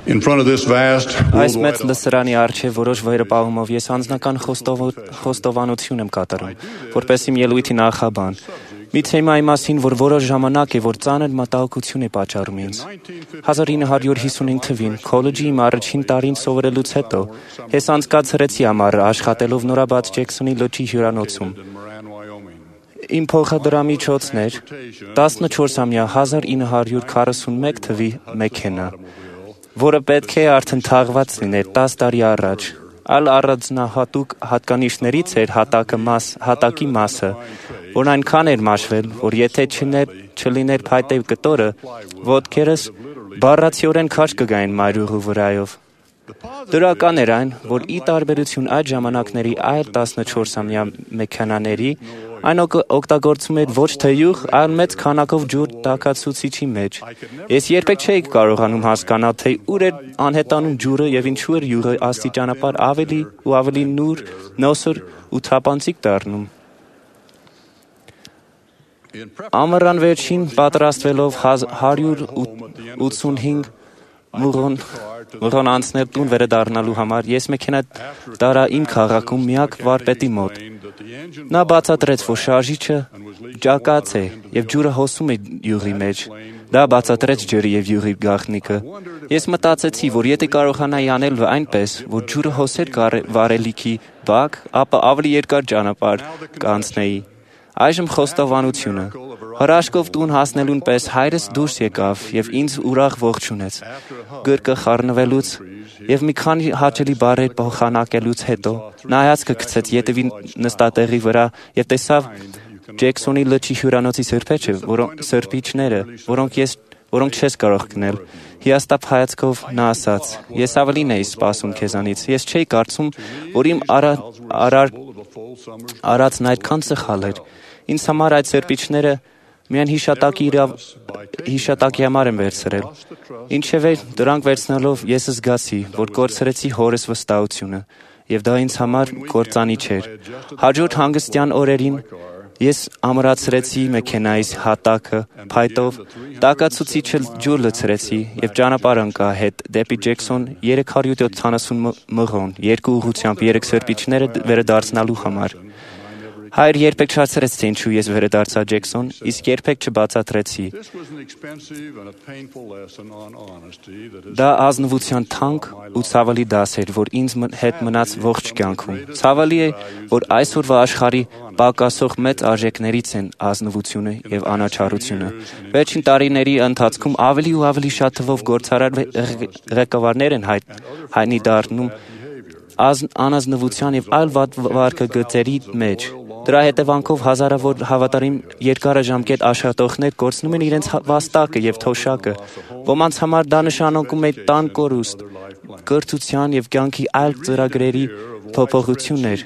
In front of this vast Այս մեծ worldwide լսարանի առջև որոշ վերապահումով ես անձնական խոստովանություն եմ կատարում, որպես իմ ելույթի նախաբան։ Մի թեմայի մասին, որ որոշ ժամանակ է, որ ծանր մտահոգություն է պատճառում ինձ։ 1955 թվին քոլեջի իմ առաջին տարին սովորելուց հետո ես անցկացրեցի ամառը աշխատելով նորաբաց Ջեքսոնի լճի հյուրանոցում։ Իմ փոխադրամիջոցն էր 14-ամյա 1941 թվի մեքենա, որը պետք է արդեն թաղված լիներ 10 տարի առաջ։ Այլ առանձնահատուկ հատկանիշներից էր հատակի մասը, որն այնքան էր մաշվել, որ եթե չլիներ փայտե կտորը, ոտքերս բառացիորեն քաջ կգային մայրուղու վրայով։ Դրական էր այն, որ ի տարբերություն այդ ժամանակների այլ 14-ամյա մեքենաների, այն օգտագործում էր ոչ թե յուղ, այլ մեծ քանակով ջուր տաքացուցիչի մեջ։ Ես երբեք չէի կարողանում հասկանալ, թե ուր էր անհետանում ջուրը եւ ինչու էր յուղը աստիճանաբար ավելի ու ավելի նոսր ու թափանցիկ դառնում։ Ամռան վերջին պատրաստվելով 185 մղոն անցնել տուն վերադառնալու համար, ես մեքենա տարա իմ քաղաքում միակ վարպետի մոտ։ Նա բացատրեց, որ շարժիչը ճակած է եւ ջուրը հոսում է յուղի մեջ։ Դա բացատրեց ջրի եւ յուղի գաղտնիքը։ Ես մտածեցի, որ եթե կարողանայի անել այնպես, որ ջուրը հոսեր վարելիքի բակ, ապա ավելի երկար ճանապարհ կանցնեի։ Այժմ խոստովանությունը։ Հրաշքով տուն հասնելուն պես հայրս դուրս եկավ եւ ինձ ուրախ ողջունեց։ Գրկը խառնվելուց եւ մի քանի հաճելի բառեր փոխանակելուց հետո նա հայացքը գցեց ետևի նստատեղի վրա եւ տեսավ Ջեքսոնի լճի հյուրանոցի սրբիչները, որոնք չես կարող գնել։ Հիասթափ հայացքով նա ասաց. «Ես ավելին էի սպասում քեզանից։ Ես չէի կարծում, որ իմ արածն այդքան սխալ էր։ Ինձ համար այդ սրբիչները միայն հիշատակի համար եմ վերցրել։ Ինչևէ, դրանք վերցնելով ես զգացի, որ կորցրեցի հորս վստահությունը, եւ դա ինձ համար կործանիչ էր։ Հաջորդ հանգստյան օրերին ես ամրացրեցի մեքենայիս հատակը փայտով, տաքացուցիչը ջուր լցրեցի եւ ճանապարհ ընկա հետ դեպի Ջեքսոն 370 մղոն, երկու ուղղությամբ 3 սրբիչները վերադարձնալու համար։ Հայր երբեք չհասցրեց, թե ինչու ես վերադարձա Ջեքսոն, իսկ երբեք չբացատրեցի։ Դա ազնվության թանկ ու ցավալի դաս էր, որ ինձ հետ մնաց ողջ կյանքում։ Ցավալի է, որ այսօրվա աշխարհի պակասող մեծ արժեքներից են ազնվությունը եւ անաչառությունը։ Վերջին տարիների ընթացքում ավելի ու ավելի շատ թվով գործարար ղեկավարներ են հայտնի դառնում անազնվության եւ այլ վարքագծերի մեջ։ Դրա հետևանքով հազարավոր հավատարիմ երկարաժամկետ աշխատողներ կորցնում են իրենց վաստակը եւ թոշակը։ Ոմանց համար դա նշանակում է տան կորուստ, կրթության եւ կյանքի այլ ծրագրերի փոփոխություններ։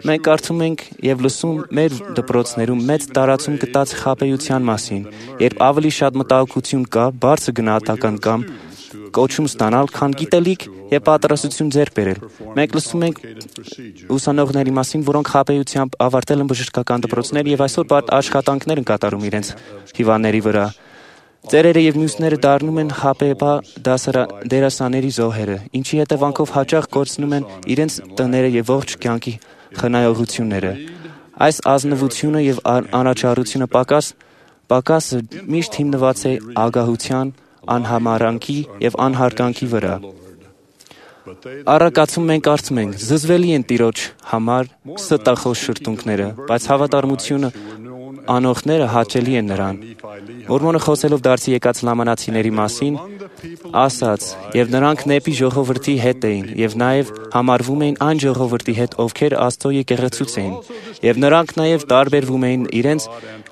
Մենք կարծում ենք եւ լսում մեր դպրոցներում մեծ տարածում գտած խաբեության մասին, երբ ավելի շատ մտահոգություն կա, բարձր գնահատական կամ կոչում ստանալ, քան գիտելիք եւ պատրաստություն ձեռք բերել։ Մենք լսում ենք ուսանողների մասին, որոնք խաբեությամբ ավարտել են բժշկական դպրոցներ եւ այսօր աշխատանքներ են կատարում իրենց հիվանդների վրա։ Ծերերը եւ մյուսները դառնում են խաբեբա դերասանների զոհերը, ինչի հետևանքով հաճախ կորցնում են իրենց տները եւ ողջ կյանքի խնայողությունները։ Այս ազնվությունը եւ անաչառությունը պակասը միշտ հիմնված է ագահության, անհամարանքի եւ անհարգանքի վրա։ Առակացում մենք կարծում ենք, զզվելի են Տիրոջ համար ստախոս շրթունքները, բայց հավատարմությունը անողները հաճելի են նրան։ Մորմոնը խոսելով դարձի եկած լամանացիների մասին, ասաց. «Եվ նրանք նեպի ժողովրդի հետ էին, եւ նաեւ համարվում էին այն ժողովրդի հետ, ովքեր Աստծո եկեղեցուց էին, եւ նրանք նաեւ տարբերվում էին իրենց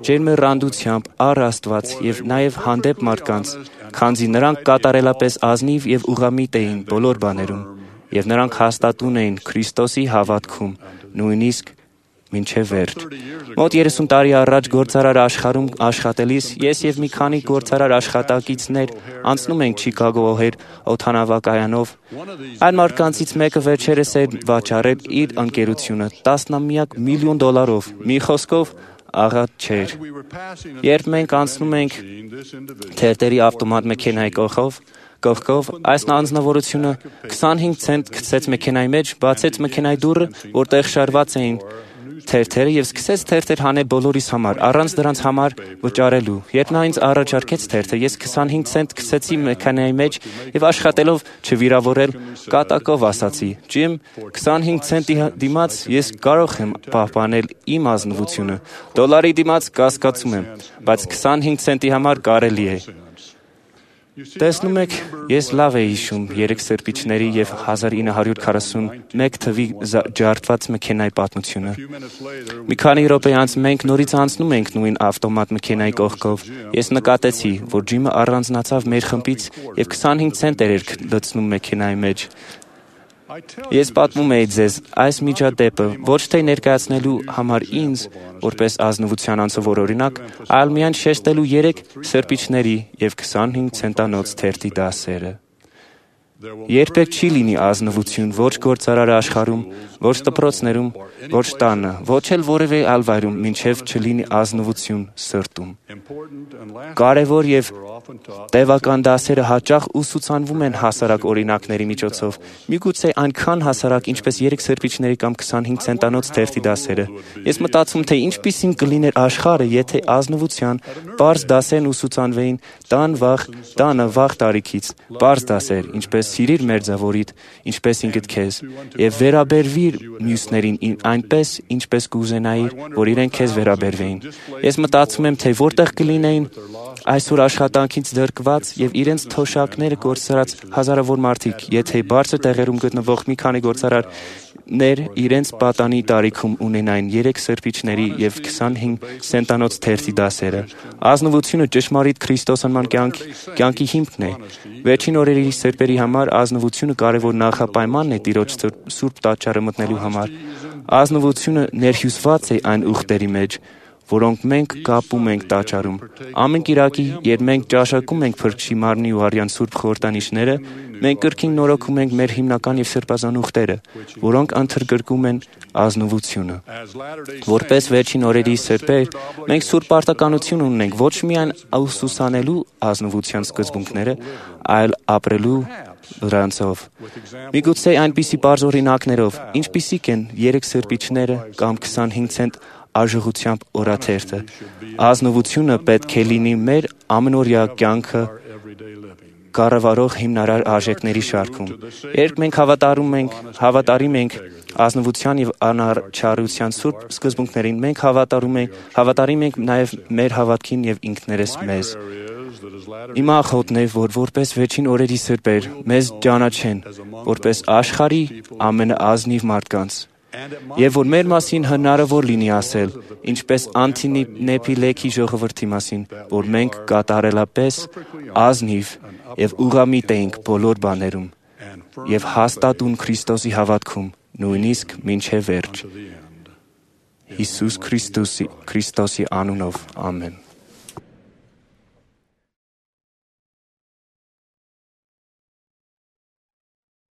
ջերմեռանդությամբ առ Աստված եւ նաեւ հանդեպ մարդկանց, քանզի նրանք կատարելապես ազնիվ եւ ուղղամիտ էին բոլոր բաներում, եւ նրանք հաստատուն էին Քրիստոսի հավատքում, նույնիսկ մինչև վերջ»։ Մոտ 30 տարի առաջ գործարար աշխարհում աշխատելիս ես եւ մի քանի գործարար աշխատակիցներ անցնում ենք Չիկագո օհեր օդանավակայանով։ Այն մարդկանցից մեկը վերջերս էր վաճառել իր ընկերությունը $10 միլիոն։ Մի խոսքով աղատ չէր։ Երբ մենք անցնում ենք թերթերի ավտոմատ մեքենայի կողքով, կողքով այս անձնավորությունը 25 ցենտ գցեց մեքենայի մեջ, բացեց մեքենայի դուռը, որտեղ շարված էին թերթերը եւ սկսեց թերթեր հանել բոլորիս համար, առանց դրանց համար վճարելու։ Երբ նա ինձ առաջարկեց թերթը, ես 25 ցենտ գցեցի մեքենայի մեջ եւ աշխատելով չվիրավորել, կատակով ասացի. «Ջիմ, 25 ցենտի դիմաց ես կարող եմ պահպանել իմ ազնվությունը, $1 դիմաց կասկածում եմ, բայց 25 ցենտի համար կարելի է»։ Տեսնում եք, ես լավ էի հիշում 3 սրբիչների եւ 1941 թվի ջարդված մեքենայի պատմությունը։ Մի քանի րոպե անց մենք նորից անցնում ենք նույն ավտոմատ մեքենայի կողքով։ Ես նկատեցի, որ Ջիմը առանձնացավ մեր խմբից եւ 25 ցենտեր էր լցնում մեքենայի մեջ։ Ես պատմում էի ձեզ այս միջադեպը ոչ թե ներկայացնելու համար ինձ, որպես ազնվության անցավոր օրինակ, այլ միայն շեշտելու 3 սրբիչների եւ 25 ցենտանոց թերթի դասերը։ Երբեք չի լինի ազնվություն ոչ գործարար աշխարհում, ոչ դպրոցներում, ոչ տանը, ոչ էլ որևէ այլ վայրում, մինչև չլինի ազնվություն սրտում։ Կարևոր եւ տևական դասերը հաճախ ուսուցանվում են հասարակ օրինակների միջոցով, միգուցե այնքան հասարակ, ինչպես 3 սրբիչների կամ 25 ցենտանոց թերթի դասերը։ Ես մտածում, թե ինչպիսին կլիներ աշխարհը, եթե ազնվության պարզ դասերն ուսուցանվեին տանը վաղ տարիքից, պարզ դասեր, ինչպես սիրիր մերձավորիդ, ինչպես ինքդ քեզ, եւ վերաբերվիր մյուսներին այնպես, ինչպես կուզենայիր, որ իրենք քեզ վերաբերվեին։ Ես մտածում եմ, թե որտեղ կլինեին այսօր աշխատանքից դրկված եւ իրենց թոշակները կորցրած հազարավոր մարդիկ, եթե բարձր տեղերում գտնվող մի քանի գործարարներ իրենց պատանի տարիքում ունենային 3 սրբիչների եւ 25 ցենտանոց թերթի դասերը։ Ազնվությունը ճշմարիտ քրիստոսանման կյանքի հիմքն է։ Վերջին օրերի սրբերի համար ազնվությունը կարևոր նախապայմանն է Տիրոջ սուրբ տաճարը մտնելու համար։ Ազնվությունը ներհյուսված է այն ուխտերի մեջ, որոնք մենք կապում ենք տաճարում։ Ամեն կիրակի, երբ մենք ճաշակում ենք Փրկչի մարմնի ու արյան սուրբ խորհրդանիշները, մենք կրկին նորոգում ենք մեր հիմնական եւ սրբազան ուխտերը, որոնք ընդգրկում են ազնվությունը։ Որպես վերջին օրերի սրբեր, մենք սուրբ պարտականություն ունենք ոչ միայն ուսուցանելու ազնվության սկզբունքները, այլ ապրելու դրանցով։ Միգուցե այնպիսի բարձ օրինակներով, ինչպիսիք են 3 սրբիչները կամ 25 ցենտ արժողությամբ օրաթերթը։ Ազնվությունը պետք է լինի մեր ամենօրյա կյանքը կառավարող հիմնարար արժեքների շարքում։ Երբ մենք հավատարիմ ենք ազնվության եւ անաչառության սուրբ սկզբունքներին, մենք հավատարիմ ենք նաեւ մեր հավատքին եւ ինքներս մեզ։ Իմ աղոթն է, որ որպես վերջին օրերի սրբեր մեզ ճանաչեն որպես աշխարհի ամենաազնիվ մարդկանց, եւ որ մեր մասին հնարավոր լինի ասել, ինչպես Անտինեպիլեկի ժողովրդի մասին, որ մենք կատարելապես ազնիվ եւ ուղղամիտ էինք բոլոր բաներում եւ հաստատուն Քրիստոսի հավատքում, նույնիսկ մինչեւ վերջ։ Հիսուս Քրիստոսի անունով, ամեն։